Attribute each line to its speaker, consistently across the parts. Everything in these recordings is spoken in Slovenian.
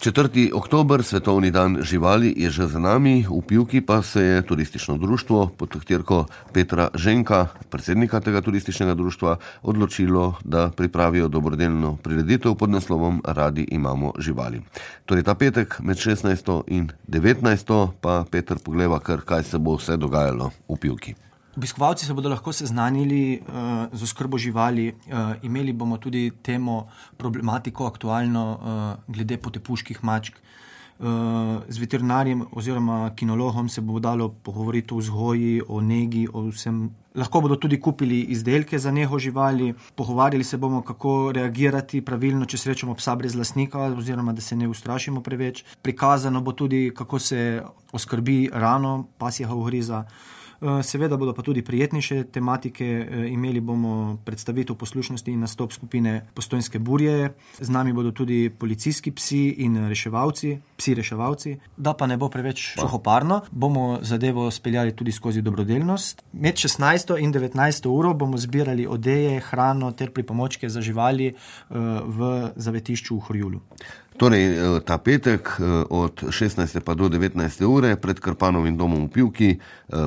Speaker 1: 4. oktober, svetovni dan živali, je že za nami. V Pivki pa se je turistično društvo pod taktirko Petra Ženka, predsednika tega turističnega društva, odločilo, da pripravijo dobrodelno prireditev pod naslovom Radi imamo živali. Torej ta petek med 16. in 19. pa Peter pogleda, kaj se bo vse dogajalo v Pivki.
Speaker 2: Obiskovalci se bodo lahko seznanili z oskrbo živali. Imeli bomo tudi temo, problematiko aktualno glede potepuških mačk. Z veterinarjem oziroma kinologom se bo dalo pogovoriti o vzgoji, o negi, o vsem. Lahko bodo tudi kupili izdelke za nego živali. Pogovarjali se bomo, kako reagirati pravilno, če srečamo psa brez lastnika, oziroma da se ne ustrašimo preveč. Prikazano bo tudi, kako se oskrbi rano pasjega ugriza. Seveda bodo pa tudi prijetnejše tematike. Imeli bomo predstavitev poslušnosti in nastop skupine Postojnske burje. Z nami bodo tudi policijski psi in psi-reševalci. Da pa ne bo preveč suhoparno, bomo zadevo speljali tudi skozi dobrodelnost. Med 16. in 19. uro bomo zbirali odeje, hrano ter pripomočke za živali v zavetišču v Horjulu.
Speaker 1: Torej, ta petek od 16. pa do 19. ure pred Krpanovim domom v Pivki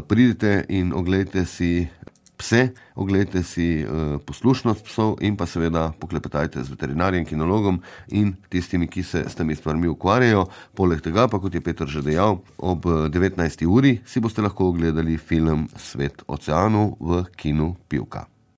Speaker 1: pridite in oglejte si pse, oglejte si poslušnost psov in pa seveda poklepetajte z veterinarjem, kinologom in tistimi, ki se s temi stvarmi ukvarjajo. Poleg tega pa, kot je Peter že dejal, ob 19. uri si boste lahko ogledali film Svet oceanov v kinu Pivka.